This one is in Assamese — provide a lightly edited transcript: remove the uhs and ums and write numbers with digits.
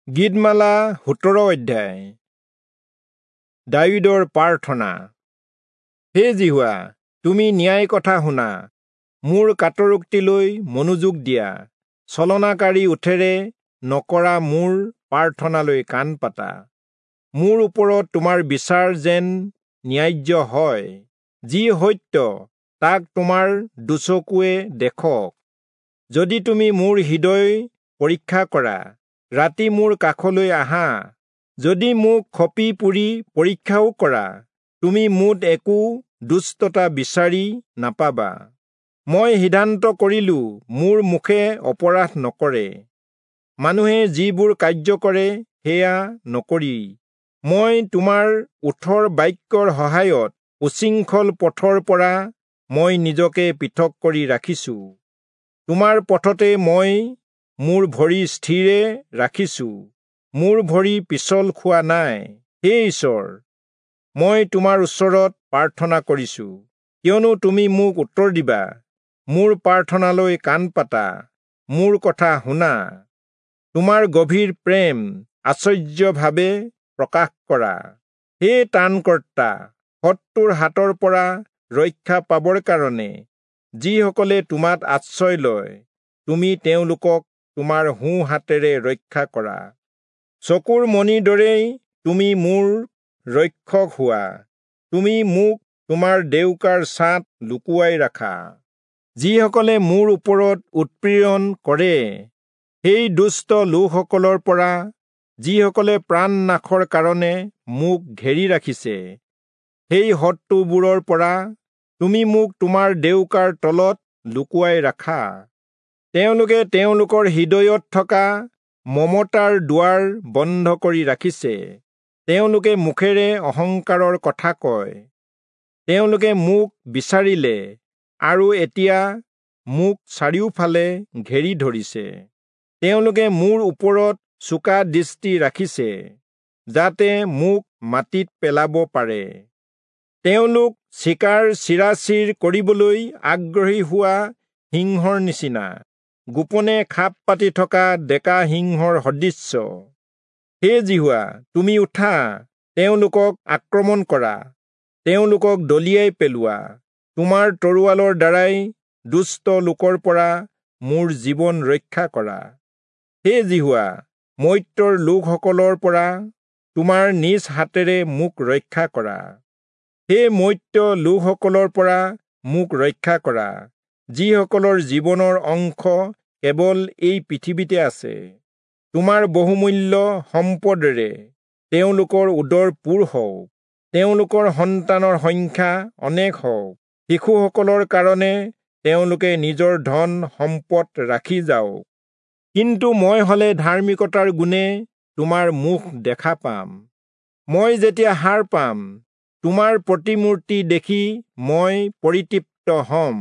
গীতমালা 17 অধ্যায়। দায়ূদৰ প্ৰাৰ্থনা। হে যিহোৱা, তুমি ন্যায় কথা শুনা, মোৰ কাতৰোক্তিলৈ মনোযোগ দিয়া, ছলনাকাৰী ওঁঠেৰে নকৰা মোৰ প্ৰাৰ্থনালৈ কাণ পাতা। মোৰ ওপৰত তোমাৰ বিচাৰ যেন ন্যায্য হয়, যি সত্য তাক তোমাৰ দুচকুৱে দেখক। যদি তুমি মোৰ হৃদয় পৰীক্ষা কৰা, ৰাতি মোৰ কাষলৈ আহা, যদি মোক খপি পুৰি পৰীক্ষাও কৰা, তুমি মোত একো দুষ্টতা বিচাৰি নাপাবা। মই সিদ্ধান্ত কৰিলো, মোৰ মুখে অপৰাধ নকৰে, মানুহে যিবোৰ কাৰ্য কৰে সেয়া নকৰি। মই তোমাৰ ওঁঠৰ বাক্যৰ সহায়ত উচ্ছৃংখল পথৰ পৰা মই নিজকে পৃথক কৰি ৰাখিছো। তোমাৰ পথতে মই মোৰ ভৰি স্থিৰে ৰাখিছো, মোৰ ভৰি পিছল খোৱা নাই। হে ঈশ্বৰ, মই তোমাৰ ওচৰত প্ৰাৰ্থনা কৰিছো, কিয়নো তুমি মোক উত্তৰ দিবা। মোৰ প্ৰাৰ্থনালৈ কাণ পাতা, মোৰ কথা শুনা। তোমাৰ গভীৰ প্ৰেম আশ্চৰ্যভাৱে প্ৰকাশ কৰা। হে ত্ৰাণকৰ্তা, শত্ৰুৰ হাতৰ পৰা ৰক্ষা পাবৰ কাৰণে যিসকলে তোমাত আশ্ৰয় লয়, তুমি তেওঁলোকক তোমাৰ সোঁ হাতেৰে ৰক্ষা কৰা। চকুৰ মণিৰ দৰেই তুমি মোৰ ৰক্ষক হোৱা, তুমি মোক তোমাৰ ডেউকাৰ ছাঁত লুকুৱাই ৰাখা। যিসকলে মোৰ ওপৰত উৎপীড়ন কৰে, সেই দুষ্ট লোকসকলৰ পৰা, যিসকলে প্ৰাণ নাশৰ কাৰণে মোক ঘেৰি ৰাখিছে, সেই শত্ৰুবোৰৰ পৰা তুমি মোক তোমাৰ ডেউকাৰ তলত লুকুৱাই ৰাখা। তেওঁলোকে তেওঁলোকৰ হৃদয়ত থকা মমতাৰ দুৱাৰ বন্ধ কৰি ৰাখিছে, তেওঁলোকে মুখেৰে অহংকাৰৰ কথা কয়। তেওঁলোকে মোক বিচাৰিলে আৰু এতিয়া মোক চাৰিওফালে ঘেৰি ধৰিছে। তেওঁলোকে মোৰ ওপৰত চোকা দৃষ্টি ৰাখিছে, যাতে মোক মাটিত পেলাব পাৰে। তেওঁলোক চিকাৰ চিৰাচিৰ কৰিবলৈ আগ্ৰহী হোৱা সিংহৰ নিচিনা, গোপনে খাপ পাতি থকা ডেকা সিংহৰ সদৃশ্য। হে যিহোৱা, তুমি উঠা, তেওঁলোকক আক্ৰমণ কৰা, তেওঁলোকক দলিয়াই পেলোৱা। তোমাৰ তৰোৱালৰ দ্বাৰাই দুষ্ট লোকৰ পৰা মোৰ জীৱন ৰক্ষা কৰা। হে যিহোৱা, মৰ্ত্যৰ লোকসকলৰ পৰা তোমাৰ নিজ হাতেৰে মোক ৰক্ষা কৰা। হে মৰ্ত্য লোকসকলৰ পৰা মোক ৰক্ষা কৰা, যিসকলৰ জীৱনৰ অংশ কেৱল এই পৃথিৱীতে আছে। তোমাৰ বহুমূল্য সম্পদেৰে তেওঁলোকৰ উদৰ পূৰ হওক, তেওঁলোকৰ সন্তানৰ সংখ্যা অনেক হওক। শিশুসকলৰ কাৰণে তেওঁলোকে নিজৰ ধন সম্পদ ৰাখি যাওক। কিন্তু মই হলে ধাৰ্মিকতাৰ গুণে তোমাৰ মুখ দেখা পাম। মই যেতিয়া সাৰ পাম, তোমাৰ প্ৰতিমূৰ্তি দেখি মই পৰিতৃপ্ত হ'ম।